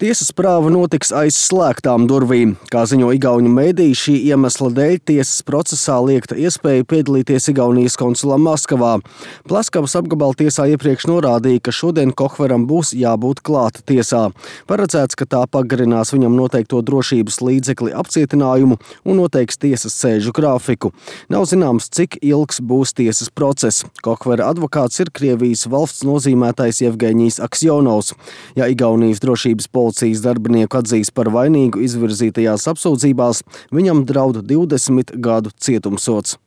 Tiesas prāva notiks aiz slēgtām durvīm. Kā ziņo igauņu mediji, šī iemesla dēļ tiesas procesā liegta iespēja piedalīties Igaunijas konsulam Maskavā. Plaskavas apgabala tiesā iepriekš norādīja, ka šodien Kohveram būs jābūt klāta tiesā. Paredzēts, ka tā pagarinās viņam noteikto drošības līdzekli apcietinājumu un noteiks tiesas sēžu grafiku. Nav zināms, cik ilgs būs tiesas process. Kohvera advokāts ir Krievijas valsts nozīmētais Jevgeņijs Aksjonovs. Ja Igaunijas drošības policijas darbinieku atzīs par vainīgu izvirzītajās apsūdzībās, viņam draud 20 gadu cietumsods.